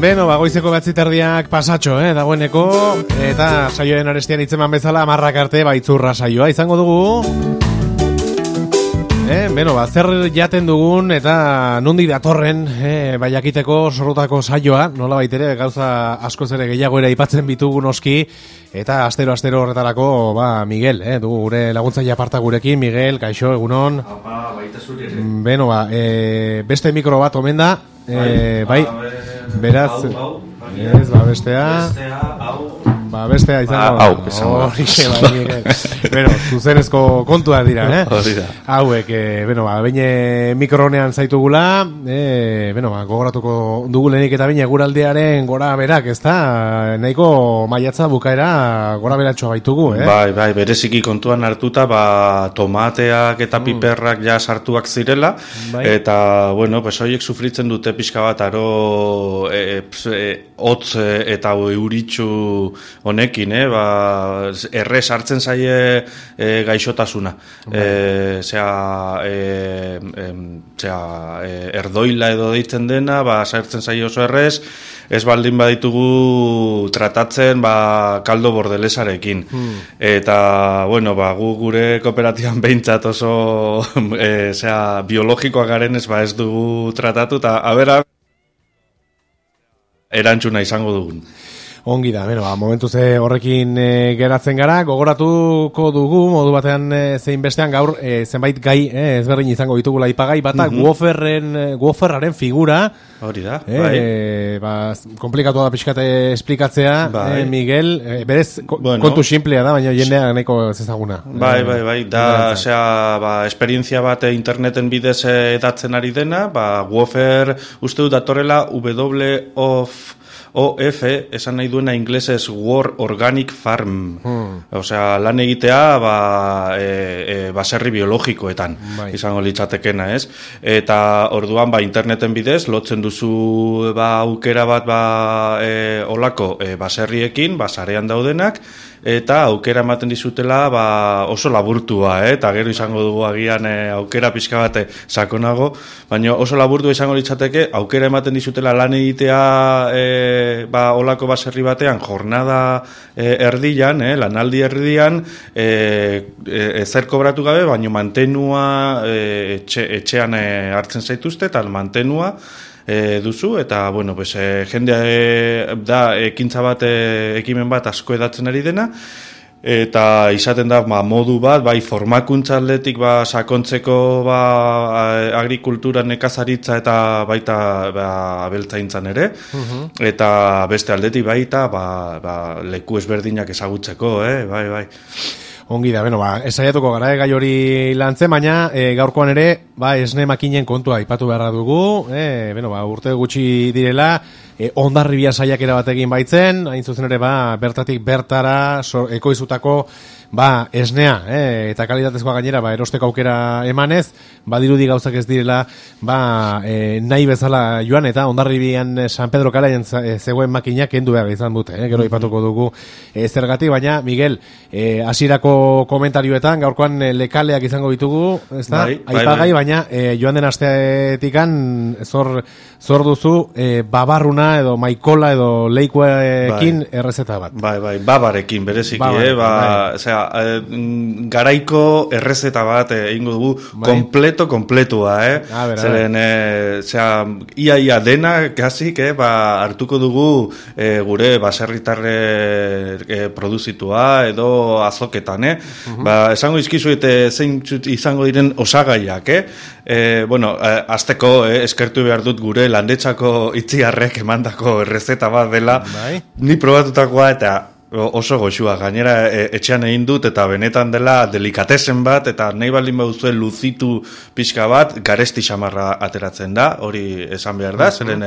Beno, goizeko 9:30 pasatxo, dagoeneko, eta saioen arestian hitzeman bezala 10 arte baitzurra saioa izango dugu. Beno, zer jaten dugun eta nundi datorren, jakiteko sorrutako saioa, nola baitere gauza askoz ere gehiago ere aipatzen bitugu noski, eta astero horretarako, Miguel, dugu gure laguntzaile aparta gurekin, Miguel, kaixo, egunon. Baita zuri ere. Beno, beste mikro bat omen da, bai, beraz, ez, bestea, bestea izango bueno, zuzenezko kontua dira, hauek, baina mikronean zaitugula, gogoratuko dugulenik eta baina eguraldiaren gora berak, ez da, nahiko maiatza bukaera gora beratxoa baitugu, Bai, bereziki kontuan hartuta, tomateak eta piperrak ja sartuak zirela, eta, horiek sufritzen dute pixka bat aro hotz eta euritxu honekin, errez hartzen zaie gaixotasuna. Erdoila edo deitzen dena, sartzen zaie oso errez, ez baldin baditugu tratatzen kaldo bordelesarekin. Eta, gu gure kooperatiban behintzat oso biologikoak garen ez dugu tratatu, eta abera erantzuna izango dugun. Ongi da, momentuz horrekin geratzen gara, gogoratuko dugu, modu batean zein bestean gaur zenbait gai ezberdin izango ditugula ipagai, bata Guoferraren figura, hori da, komplikatu da pixkate esplikatzea, Miguel, berez kontu simplea da, baina jendea nahiko ezaguna. Bai, da, esperientzia bat interneten bidez edatzen ari dena, Guofer uste dut datorrela OF, esan nahi duena inglesez World Organic Farm. Osea, lan egitea baserri biologikoetan izango litzatekena, ez? Eta orduan, interneten bidez, lotzen duzu aukera bat olako baserriekin, sarean daudenak, eta aukera ematen dizutela oso laburtua, eta gero izango dugu agian aukera pixka bat sakonago, baina oso laburtua izango litzateke, aukera ematen dizutela lan egitea olako baserri batean, jornada erdian, lanaldi erdian, ezer kobratu gabe, baina mantenua etxean hartzen zaituzte, eta mantenua duzu, eta, jendea da ekintza bat, ekimen bat asko edatzen ari dena, eta izaten da modu bat, formakuntza aldetik sakontzeko agrikultura, nekazaritza eta baita abeltzaintzan ere, eta beste aldetik baita leku ezberdinak ezagutzeko, bai. Ongi da, esaiatuko gara gai hori lantzen, baina gaurkoan ere, esne makinen kontua aipatu beharra dugu, urte gutxi direla, Hondarribia saiakera bat egin baitzen, hain zuzen ere bertatik bertara ekoizutako esnea, eta kalitatezkoa gainera erosteko aukera emanez, dirudi gauzak ez direla nahi bezala joan, eta Hondarribian San Pedro Kalaien zegoen makinak kendu behar izan dute, gero aipatuko dugu zergatik, baina Miguel, hasierako komentarioetan gaurkoan lekaleak izango ditugu, ezta? Aipagai, baina joan den asteetikan zor duzu babarruna edo maikola edo leikuekin errezeta bat. Bai, babarekin bereziki, garaiko errezeta bat egingo dugu kompletua, zeren ia dena kasik, hartuko dugu gure baserritarre produzitua edo azoketan, esango izkizuet zein izango diren osagaiak, azteko eskertu behar dut gure landetzako itziarrek emandako errezeta bat dela, ni probatutakoa eta oso goxua, gainera etxean egin dut eta benetan dela delikatesen bat eta nahi baldin baduzue luzitu pixka bat, garesti xamarra ateratzen da, hori esan behar da, zeren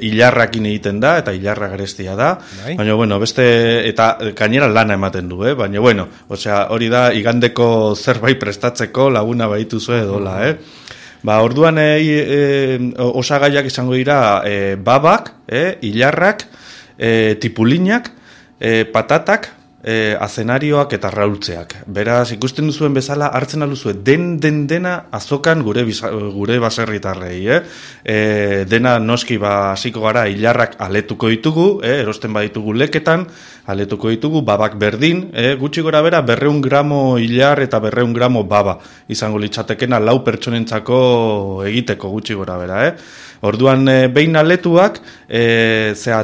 hilarrakin egiten da eta hilarra garestia da, baina beste eta gainera lana ematen du, baina hori da igandeko zerbait prestatzeko laguna baituzue edola, orduan osagaiak izango dira babak, hilarrak, tipulinak, patatak, azenarioak eta raultzeak. Beraz, ikusten duzuen bezala, hartzen aluzue dena azokan gure baserritarrei. Dena noski hasiko gara hilarrak aletuko ditugu, erosten baditugu leketan, aletuko ditugu, babak berdin, gutxi gora bera 200 gramo hilar eta 200 gramo baba izango litzatekena 4 pertsonentzako egiteko gutxi gora bera. Orduan, behin aletuak,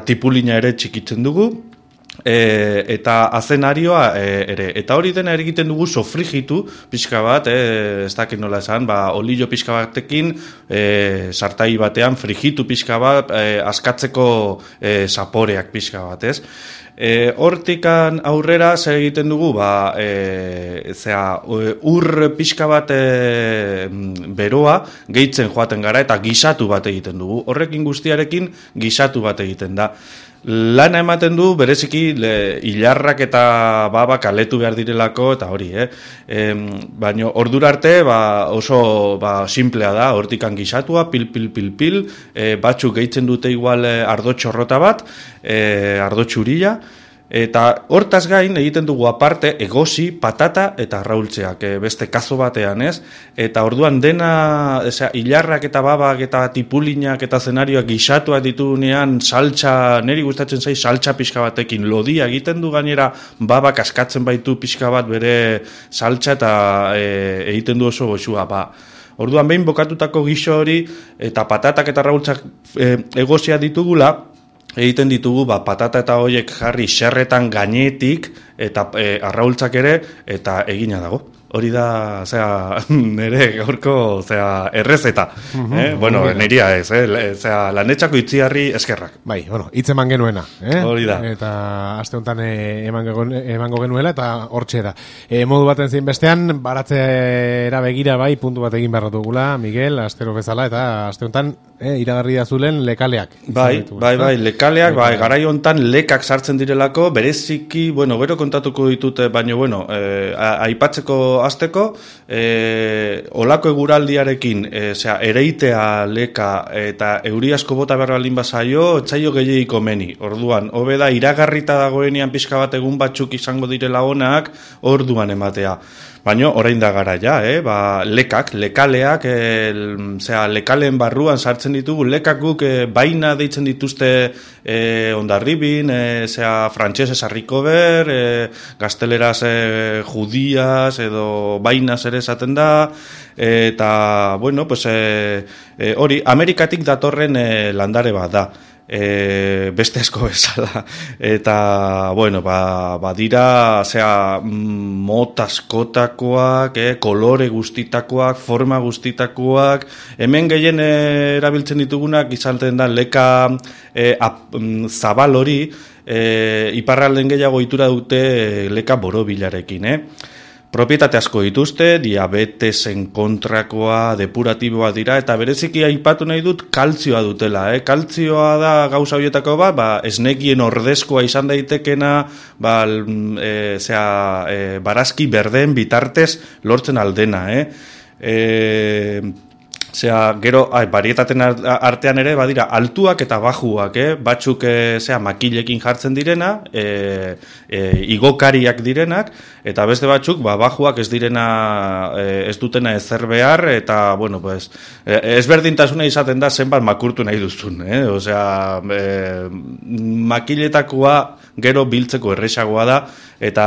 tipulina ere txikitzen dugu, eta azenarioa ere. Eta hori dena egiten dugu sofrigitu pixka bat, ez dakit nola esan, olio pixka batekin, sartai batean frigitu pixka bat, askatzeko zaporeak pixka bat, ez? Hortikan aurrera zer egiten dugu, ur pixka bat beroa gehitzen joaten gara eta gisatu bat egiten dugu. Horrekin guztiarekin gisatu bat egiten da. Lana ematen du, bereziki hilarrak eta babak aletu behar direlako, eta hori, baina ordura arte oso simplea da, hortikan gisatua, pil, batzuk gehitzen dute igual ardo txorrota bat, ardo txurila, eta hortaz gain egiten dugu aparte egosi, patata eta raultzeak, beste kazo batean, ez? Eta orduan dena, hilarrak eta babak eta tipulinak eta zenarioak gisatuak ditugunean saltsa, niri gustatzen zai saltsa pixka batekin, lodia egiten du gainera babak askatzen baitu pixka bat bere saltsa eta egiten du oso goxua, Orduan behin bokatutako giso hori eta patatak eta raultzak egosia ditugula, egiten ditugu patata eta hoiek jarri xerretan gainetik eta arraultzak ere eta egina dago. Hori da, nire gaurko, errezeta. Bueno, niria ez, lanetxako itziarri eskerrak. Bai, hitz eman genuena. Hori da. Eta aste honetan emango genuela eta hortxe da. Modu baten zein bestean, baratzera begira bai, puntu bat egin behar dugula, Miguel, astero bezala, eta aste honetan iragarri da zulen lekaleak. Bai, lekaleak, garai honetan lekak sartzen direlako, bereziki, gero kontatuko ditute, baina, aipatzeko azteko, olako eguraldiarekin, ereitea leka eta euri asko bota behar baldin bazaio, etzaio gehiagiko meni. Orduan, hobe da, iragarrita dagoenean pixka bat egun batzuk izango direla onak, orduan ematea. Baina, orain da gara ja, lekaleak, lekaleen barruan sartzen ditugu, lekak guk baina deitzen dituzte Hondarribin, frantsesez harrikober, gazteleraz judiaz edo bainas ere esaten da, eta, hori, Amerikatik datorren landare bat da. Beste asko bezala eta badira mota askotakoak, kolore guztitakoak, forma guztitakoak, hemen gehien erabiltzen ditugunak izalten da leka zabal hori, iparralden gehiago itura dute leka borobilarekin, Propietate asko dituzte, diabetesen kontrakoa, depuratiboa dira, eta bereziki aipatu nahi dut kaltzioa dutela. Kaltzioa da gauza horietako esnekien ordezkoa izan daitekena, barazki berdeen bitartez lortzen aldena. Gero, barietaten artean ere, badira, altuak eta bajuak, batzuk, makilekin jartzen direna, igokariak direnak, eta beste batzuk, bajuak ez direna, ez dutena ezer behar, eta, ezberdintasuna izaten da zenbat makurtu nahi duzun, makiletakoa gero biltzeko erresagoa da, eta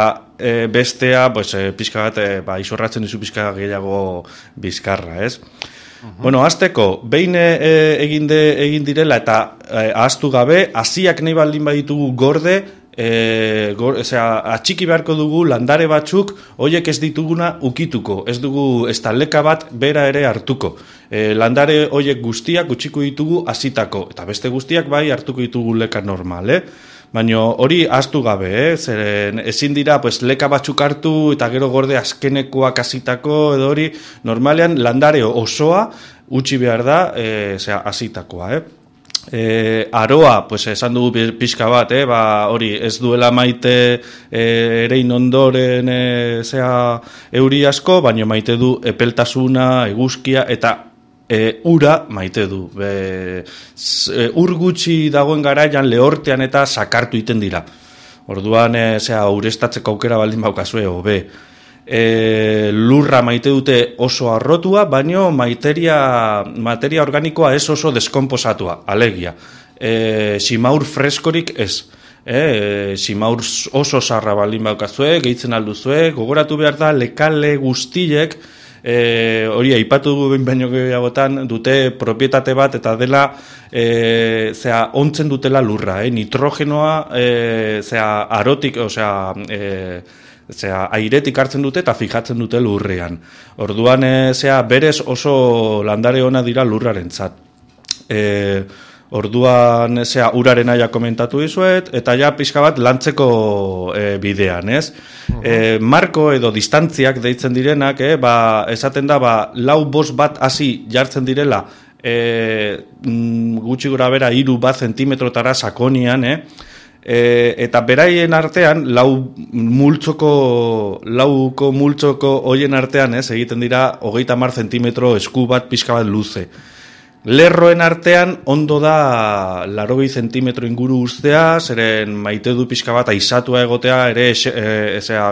bestea, pixka bat, isorratzen dizu pixka gehiago bizkarra, ez? Azteko, behin egin direla eta ahaztu gabe, hasiak nahi baldin baditugu gorde, atxiki beharko dugu landare batzuk, hoiek ez dituguna ukituko, ez dugu estaleka bat bera ere hartuko. Landare hoiek guztiak utxiko ditugu hasitako, eta beste guztiak bai hartuko ditugu leka normal, Baina hori ahaztu gabe, zeren ezin dira leka batzuk hartu eta gero gorde azkenekoak hasitako edo hori, normalean landare osoa utzi behar da hasitakoa. Aroa, esan dugu pixka bat, hori ez duela maite erein ondoren euri asko, baina maite du epeltasuna, eguzkia eta ura maite du. Ur gutxi dagoen garaian lehortean eta sakartu iten dira. Orduan, ureztatzeko aukera baldin baukazue, hobe. Lurra maite dute oso arrotua, baino materia organikoa ez oso deskomposatua, alegia. Simaur freskorik ez. Simaur oso sarra baldin baukazue, gehitzen alduzue, gogoratu behar da, lekale guztiek, hori aipatu baino gehiagotan dute propietate bat eta dela ontzen dutela lurra, nitrogenoa arotik, airetik hartzen dute eta fijatzen dute lurrean. Orduan berez oso landare ona dira lurrarentzat. Orduan uraren aia komentatu dizuet, eta ja pixka bat lantzeko bidean, ez? Marko edo distantziak deitzen direnak, esaten da, 4-5 bat hasi jartzen direla, gutxi gora bera 3 zentimetrotara sakonian, eta beraien artean, lauko multzoko hoien artean, egiten dira 30 zentimetro esku bat pixka bat luze. Lerroen artean ondo da 80 zentimetro inguru ustea, zeren maite du pixka bat aizatua egotea ere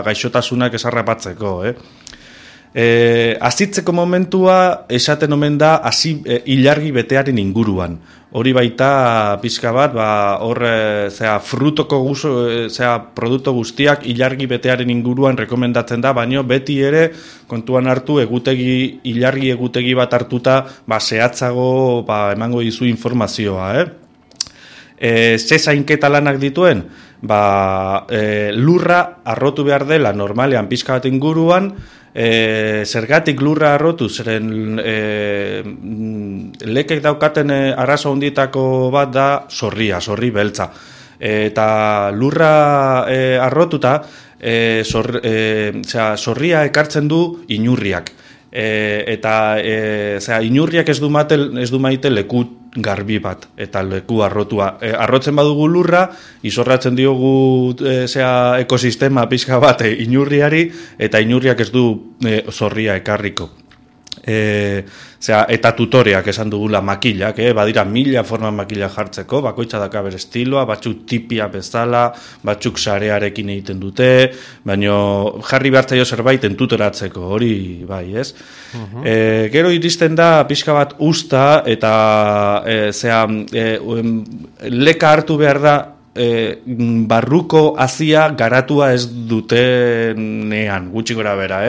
gaixotasunak esarrapatzeko. Azitzeko momentua esaten omen da ilargi betearen inguruan. Hori baita pixka bat, frutoko produktu guztiak ilargi betearen inguruan rekomendatzen da, baino beti ere kontuan hartu ilargi egutegi bat hartuta zehatzago emango dizu informazioa. Ze zainketa lanak dituen? Lurra arrotu behar dela normalean pixka bat inguruan, zergatik lurra arrotu, zeren lekek daukaten arazo handietako bat da zorri beltza. Eta lurra arrotuta, zorria ekartzen du inurriak. Inurriak ez du maite leku garbi bat, eta leku arrotua. Arrotzen badugu lurra, izorratzen diogu ekosistema pixka bat inurriari, eta inurriak ez du zorria ekarriko. Eta tutoreak esan dugula makilak, badira 1000 forma makila jartzeko, bakoitza daka bere estiloa, batzuk tipia bezala, batzuk sarearekin egiten dute, baino jarri behartzaio zerbait entutoratzeko, hori bai, ez? Gero iristen da pixka bat usta, eta leka hartu behar da, barruko hazia garatua ez dutenean, gutxi gora bera,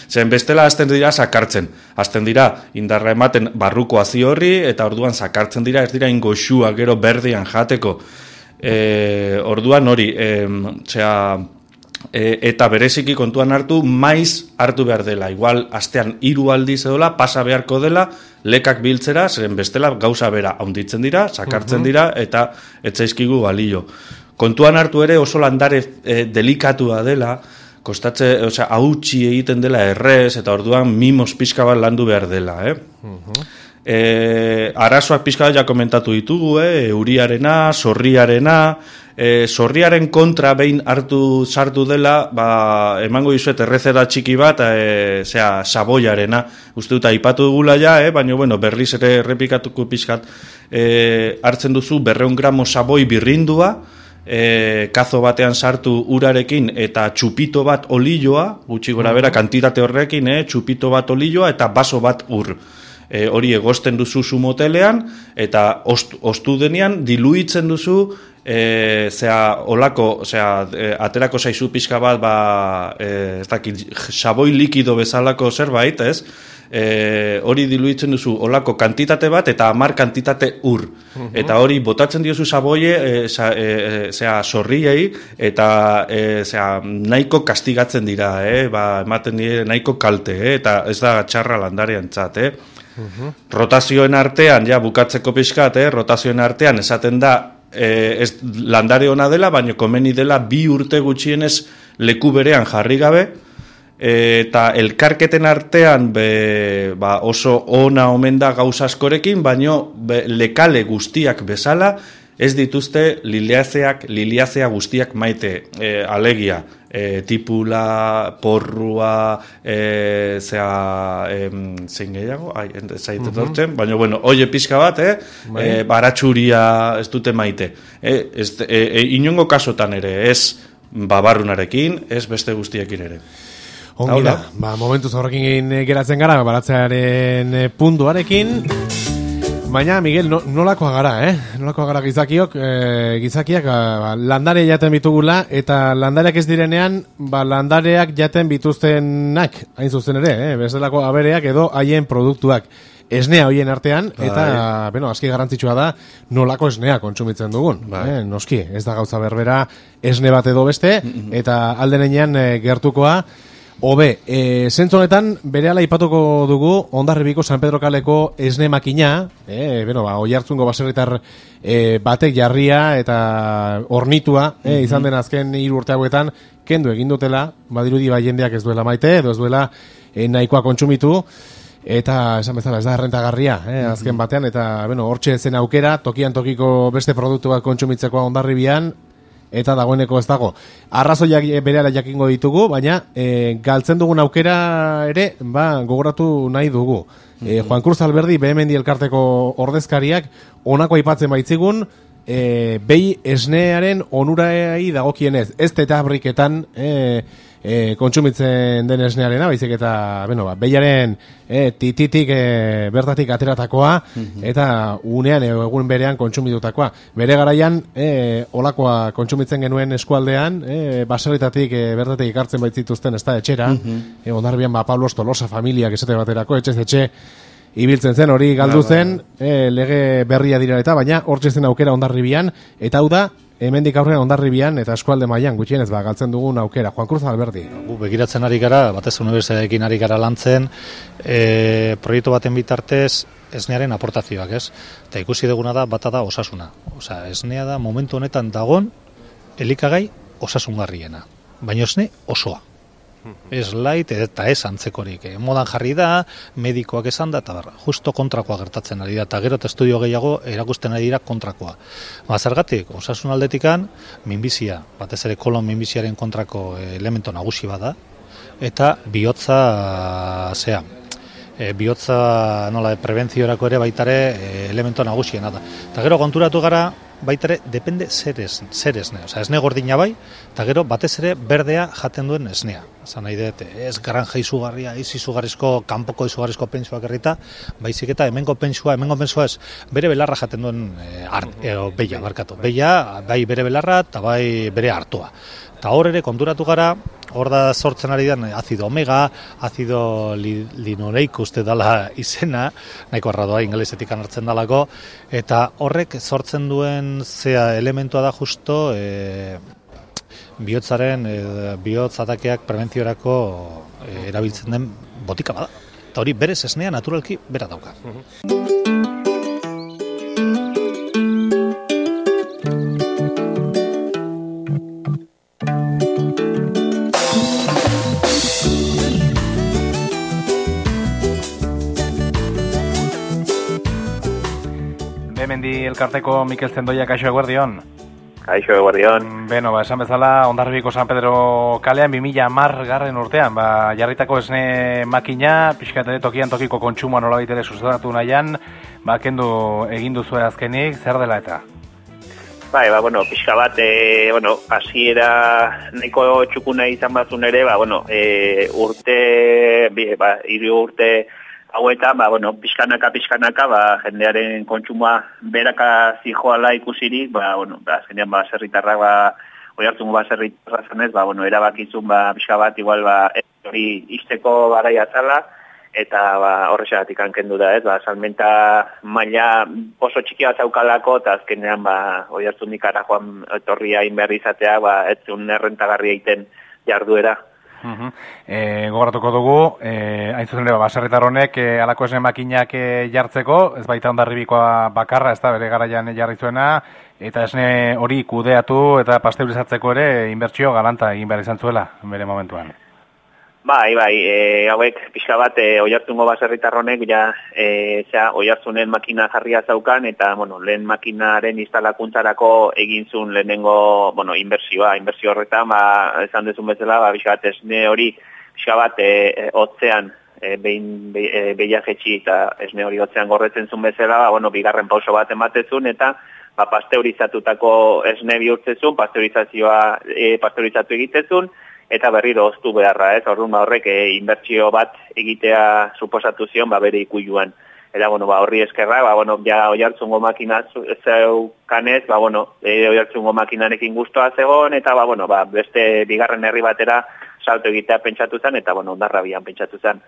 Zen bestela hasten dira sakartzen, hasten dira indarra ematen barruko hazi horri, eta orduan sakartzen dira, ez dira ingoxua gero berdean jateko. Orduan hori, eta bereziki kontuan hartu, maiz hartu behar dela, igual astean 3 aldiz edola, pasa beharko dela, lekak biltzera, zeren bestela gauza bera haunditzen dira, sakartzen dira, eta etzaizkigu balio. Kontuan hartu ere oso landare delikatua dela, hautsi egiten dela errez, eta orduan mimos pixka bat landu behar dela. Arazoak pixka bat ja komentatu ditugu, euriarena, zorriarena, zorriaren kontra behin sartu dela, emango dizuet errezera txiki bat, saboiarena, uste dut aipatu dugula ja, baina berriz ere errepikatuko pixkat, hartzen duzu 200 gramo saboi birrindua, kazo batean sartu urarekin eta txupito bat olioa, gutxi gora bera kantitate horrekin, txupito bat olioa eta baso bat ur. Hori egosten duzu motelean, eta ostu denean diluitzen duzu, aterako zaizu pixka bat, saboi likido bezalako zerbait, ez? Hori diluitzen duzu olako kantitate bat eta 10 kantitate ur. Eta hori botatzen diozu saboie, zorriei, eta nahiko kastigatzen dira, ematen dire nahiko kalte, eta ez da txarra landarean txat, Rotazioen artean, bukatzeko pixkat, rotazioen artean esaten da, ez landare ona dela, baina komeni dela 2 urte gutxienez leku berean jarri gabe, eta elkarketen artean oso ona omen da gauza askorekin, baina lekale guztiak bezala ez dituzte liliazea guztiak maite, alegia, tipula, porrua, zein gehiago, zaiten dortzen, baina, oie pixka bat, baratxuria ez dute maite. Inongo kasotan ere, ez babarrunarekin, ez beste guztiekin ere. Ongi da, momentuz horrekin geratzen gara, baratzearen puntuarekin. Baina, Miguel, nolakoa gara, Nolakoa gara gizakiak landare jaten bitugula, eta landareak ez direnean, landareak jaten bituztenak, hain zuzen ere, bezalako abereak edo haien produktuak. Esnea hoien artean, eta, aski garrantzitsua da, nolako esnea kontsumitzen dugun. Noski, ez da gauza berbera esne bat edo beste, eta aldenean gertukoa, hobe, zentzu honetan, berehala aipatuko dugu Hondarribiko San Pedro kaleko esne makina, Oiartzungo baserritar batek jarria eta ornitua, izan den azken 3 urte hauetan, kendu egin dutela, badirudi jendeak ez duela maite, edo ez duela nahikoa kontsumitu, eta esan bezala ez da errentagarria, azken batean, eta hortxe zen aukera, tokian tokiko beste produktu bat kontsumitzeko Hondarribian, eta dagoeneko ez dago. Arrazoiak berehala jakingo ditugu, baina galtzen dugun aukera ere, gogoratu nahi dugu. Juan Cruz Alberdi, Behemendi elkarteko ordezkariak, honako aipatzen baitzigun, behi esnearen onurai dagokienez, ez tetabriketan kontsumitzen den esnearena, baizik eta, behiaren tititik bertatik ateratakoa, eta unean egun berean kontsumitutakoa. Bere garaian, olakoa kontsumitzen genuen eskualdean, baserritatik bertatik ikartzen baitzituzten ez da etxera, Hondarribian Pablo Tolosa familiak esate baterako, etxez etxe, ibiltzen zen, hori galdu zen, lege berria dira eta, baina hortxe zen aukera Hondarribian, eta hau da, hemendik aurrean Hondarribian eta eskualde mailan gutxienez galtzen dugun aukera. Juan Cruz Alberdi. Begiratzen ari gara, batez unibertsitateekin ari gara lantzen, proiektu baten bitartez esnearen aportazioak, ez? Eta ikusi duguna da, bata da osasuna. Osea, esnea da momentu honetan dagon elikagai osasungarriena. Baina esne osoa. Ez light eta ez antzekorik. Modan jarri da, medikoak esan da, eta justo kontrakoa gertatzen ari da, eta gero eta estudio gehiago erakusten ari dira kontrakoa. Zergatik, osasun aldetikan, minbizia, batez ere kolon minbiziaren kontrako elemento nagusi bada, eta bihotza, bihotza prebentziorako ere baitare elemento nagusiena da. Eta gero konturatu gara, baitare, depende zer esne. Osea, esne gordina bai, eta gero batez ere berdea jaten duen esnea. Zan nahi dut, ez granja izugarria, izugarrizko, kanpoko izugarrizko pentsuak errita, baizik eta hemengo pentsua ez, bere belarra jaten duen beia, barkatu. Beia, bai bere belarra, eta bai bere hartua. Eta hor ere konturatu gara, hor da sortzen ari den azido omega, azido linoleico uste dala izena, nahiko arradoa ingelesetik hartzen dalako, eta horrek sortzen duen zea elementua da justo bihotzaren, bihotz atakeak prebentziorako erabiltzen den botika bada. Eta hori berez esnea naturalki bera dauka. Behemendi elkarteko Mikel Zendoia, kaixo eguerdion. Kaixo eguerdion. Esan bezala, Hondarribiko San Pedro kalean 2010 urtean, jarritako esne makina, pixkat ere tokian tokiko kontsumoa nolabait ere sustatu nahian, kendu egin duzue azkenik, zer dela eta? Pixka bat, hasiera nahiko txukuna izan batzun ere, hiru urte hauetan, pixkanaka, jendearen kontsumoa beraka zijoala ikusirik, azkenean baserritarrak, Oiartzungo baserritarra zanez, erabakizun pixka bat, igual, hori izteko garaia zala, eta horrexagatik kendu da, salmenta maila oso txikia zaukalako, eta azkenean Oiartzunik ara joan etorria inberri izatea, ez zuen errentagarria egiten jarduera. Gogoratuko dugu, hain zuzen ere, baserritar honek halako esne makinak jartzeko, ez baita Hondarribikoa bakarra, ez da bere garaian jarri zuena, eta esne hori kudeatu eta pasteurizatzeko ere inbertsio galanta egin behar izan zuela, bere momentuan. Hauek pixka bat Oiartzungo baserritar honek Oiartzunen makina jarria zaukan, eta lehen makinaren instalakuntzarako egin zuen lehenengo inbertsio horretan, esan dezun bezala, pixka bat esne hori pixka bat hotzean behia jetxi eta esne hori hotzean gorretzen zuen bezala, bigarren pauso bat ematezun, eta pasteurizatutako esne bihurtzezun, pasteurizatu egitezun, eta berriro oztu beharra, ez? Orduan horrek inbertsio bat egitea suposatu zion bere ikuiluan. Eta horri eskerra, ja Oiartzungo makina zeukanez, Oiartzungo makinarekin guztua zegoen, eta beste bigarren herri batera salto egitea pentsatu zen, eta Hondarrabian pentsatu zen.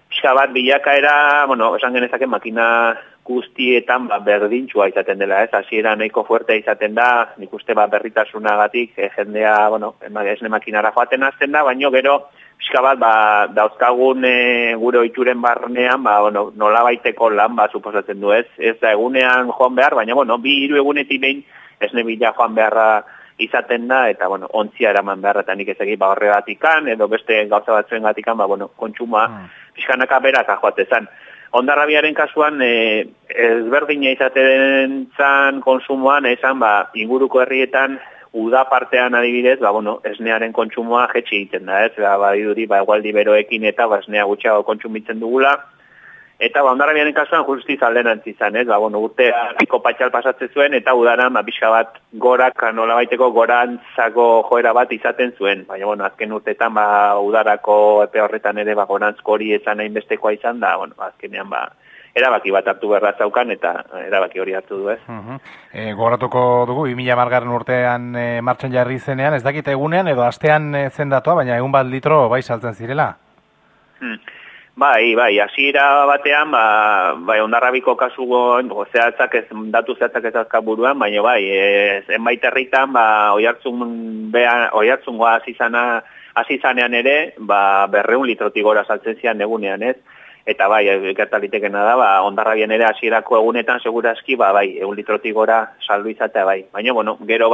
Pixka bat bilakaera, esan genezake makina guztietan berdintxua izaten dela, ez? Hasiera nahiko fuerte izaten da, nik uste berritasunagatik jendea, esne makinara joaten hasten da, baino gero pixka bat dauzkagun gure ohituren barnean, nolabaiteko lan suposatzen du, ez? Ez da egunean joan behar, baina 2-3 egunetik behin esne bila joan beharra izaten da, eta ontzia eraman beharra, eta nik ez egin horregatikan, edo beste gauza batzuengatikan, kontsuma pixkanaka beraka joatezan. Hondarrabiaren kasuan, ezberdina izaten zan konsumoan, esan, inguruko herrietan, uda partean adibidez, esnearen kontsumoa jetxi egiten da, ez? Badiduri, egualdi beroekin eta esnea gutxiago kontsumitzen dugula. Eta Hondarrabiaren kasuan justiz alderantz izan, ez? Urtea piko patxal pasatzen zuen, eta udaran, pixka bat gorak, nolabaiteko gorantzako joera bat izaten zuen. Baina, azken urteetan, udarako epe horretan ere, gorantzko hori ezan hainbestekoa izan da, azkenean, erabaki bat hartu beharra zaukan, eta erabaki hori hartu du, ez? Gogoratuko dugu, 2010 urtean martxan jarri zenean, ez dakit egunean edo astean zen datua, baina egun bat litro saltzen zirela? Bai, hasiera batean, Hondarrabiko kasugon, datu zehatzak ez azka buruan, baina zenbait herritan, Oiartzungoa hasi zanean ere, 200 litrotik gora saltzen zian egunean, ez? Eta gertalitekena da, Hondarrabian ere hasierako egunetan segurazki, 100 litrotik gora saldu izatea, Baina, gero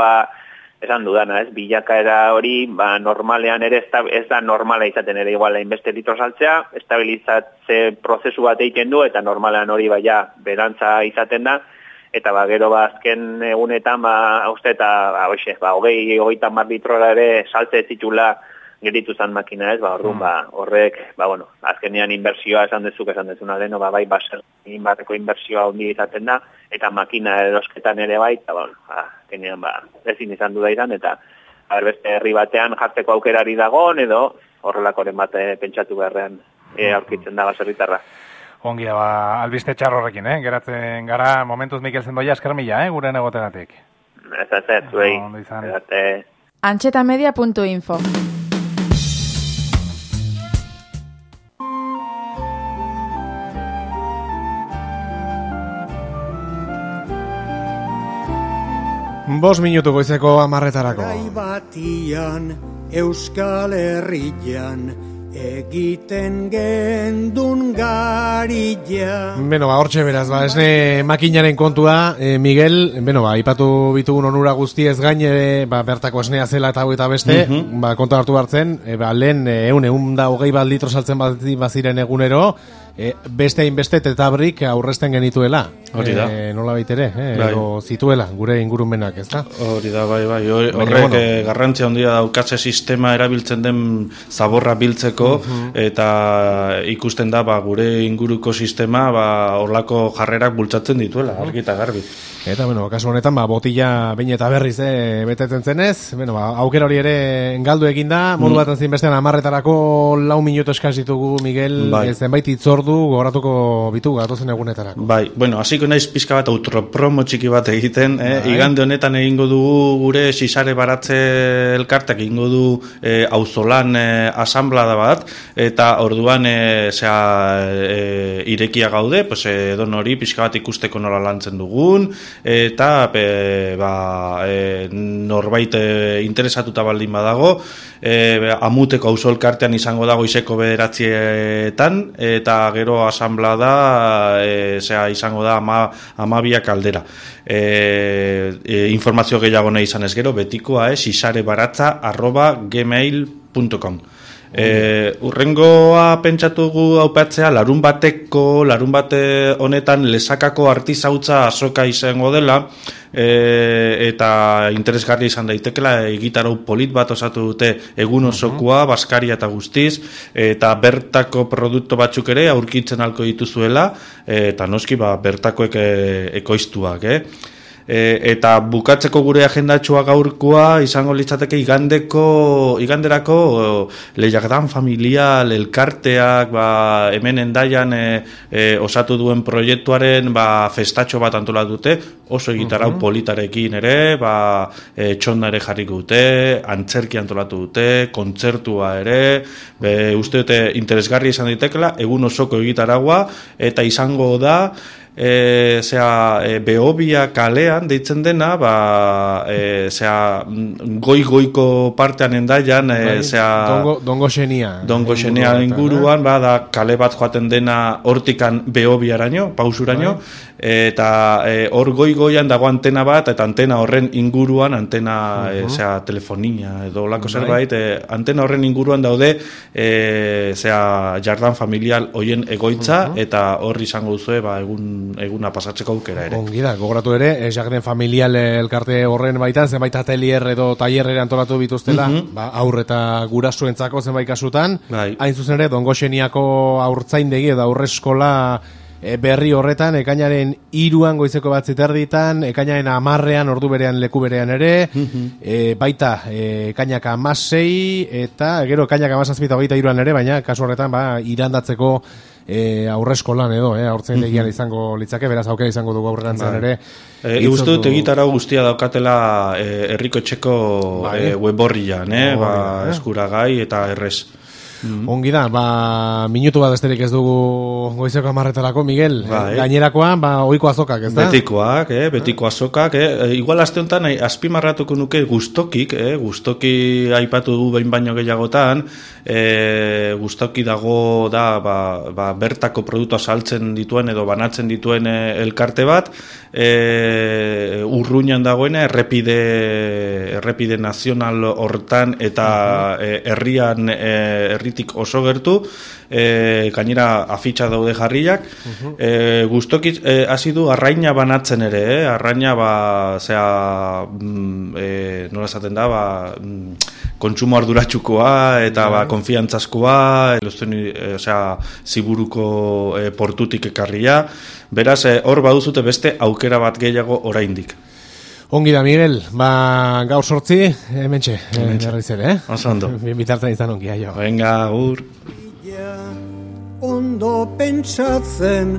esan dudana, ez, bilakaera hori, normalean ere, ez da normala izaten ere igual hainbeste litro saltzea, estabilizatze prozesu bat egiten du, eta normalean hori berantza izaten da, eta gero azken egunetan, uste eta, 20-30 litrora ere saltze ez zitula geritu zan makina, ez, orduan, horrek, azkenean inbertsioa esan dezuna leno, bateko inbertsioa ondi izaten da, eta makina erosketan ere eta, azkenean, ezin izan du da izan, eta, beste herri batean jartzeko aukerari dagoen, edo horrelakoren bat pentsatu beharrean aurkitzen da baserritarra. Ongi da, albiste txarrorrekin, geratzen gara, momentuz Mikel Zendoia, esker mila, gure negotegatik. Ez, zuei. Antxetamedia.info Bos minutu goizeko 10:00. Gai batian, Euskal Herrian, egiten gendun garilla. Hortxe beraz, esne makinaren kontua, Miguel, ipatu bitugun onura guztiez gain, bertako esnea zela eta beste, konta hartu hartzen, lehen 120 litro saltzen baziren egunero, beste hainbeste tetabrik aurrezten genituela. Hori da. Nola baitere, edo zituela, gure ingurumenak, ez da? Hori da, horrek garrantzia handia daukatze sistema erabiltzen den zaborra biltzeko, eta ikusten da, gure inguruko sistema, horlako jarrerak bultzatzen dituela, argi eta garbi. Eta, kasu honetan, botila behin eta berriz betetzen zenez, aukera hori ere galdu eginda, modu bat zinbestean 10:00 4 minutu eskaz ditugu, Miguel, zenbait itzordu gogoratuko bitu gatozen egunetarako. Hasiko naiz pizka bat autopromo txiki bat egiten, igande honetan egingo dugu gure sisare baratze elkartek egingo du auzolan asanblada bat, eta orduan irekia gaude, edon hori pizka bat ikusteko nola lantzen dugun, eta norbait interesatuta baldin badago, Amuteko auzo elkartean izango dago goizeko 9:00, eta gero asanblada izango da 12:00 aldera. Informazio gehiago nahi izan ez gero, betikoa sisarebaratza@gmail.com. Urrengoa pentsatugu aupatzea larun bate honetan Lesakako artizautza azoka izango dela, eta interesgarria izan daitekela, egitarau polit bat osatu dute egun osokoa, Baskaria eta guztiz, eta bertako produktu batzuk ere aurkitzen alko dituzuela, eta noski bertakoek ekoiztuak, Eta bukatzeko gure agendatxoa gaurkoa izango litzateke iganderako lehiaketan familial elkarteak hemen Hendaian osatu duen proiektuaren festatxo bat antolatute, oso egitarau politarekin ere, txonda ere jarriko dute, antzerki antolatu dute, kontzertua ere, uste dute interesgarri izan ditekela, egun osoko egitaragua, eta izango da, Behobia kalean deitzen dena, goi-goiko partean Hendaian, Dongo Xenia inguruan, da kale bat joaten dena hortikan Behobiaraino, pausuraino, eta hor goi-goian dago antena bat, eta antena horren inguruan, telefonia edo lako zerbait, antena horren inguruan daude, jardan familial hoien egoitza, eta hor izango duzue, eguna pasatzeko aukera ere. Ongi da, gogoratu ere, jarden familial elkarte horren baitan, zenbait atelier edo tailerrera antolatu bituztela, aur eta gurasoentzako zenbait kasutan, hain zuzen ere, Dongo Xeniako aurtzaindegi edo aurreskola berri horretan, ekainaren 3 goizeko 9:30, ekainaren 10 ordu berean leku berean ere, baita ekainak 16 eta gero ekainak 17:23 ere, baina kasu horretan irandatzeko aurreskolan edo, aurtzaindegian izango litzake, beraz aukera izango dugu aurrerantzan ere. Uste dut egitarau guztia daukatela herriko etxeko weborrian, eskuragai eta errez. Ongi da, minutu bat besterik ez dugu goizeko 10:00 Miguel, gainerakoan, ohiko azokak, ez da? Betiko azokak, igual aste honetan azpimarratuko nuke gustoki aipatu du behin baino gehiagotan, gustoki dago da, bertako produktua saltzen dituen edo banatzen dituen elkarte bat, Urruñan dagoena, errepide nazional hortan eta herritik oso gertu, gainera afitxa daude jarriak, gustoki hasi du arraina banatzen ere, arraina nola esaten da, kontsumo arduratsukoa eta konfiantzazkoa, Ziburuko portutik ekarria, beraz hor baduzute beste aukera bat gehiago oraindik. Ongi da, Miguel, gaur 8, hementxe, berriz ere, Oso ondo. Bitartzen izan ongi, aio. Venga, agur. Ondo pentsatzen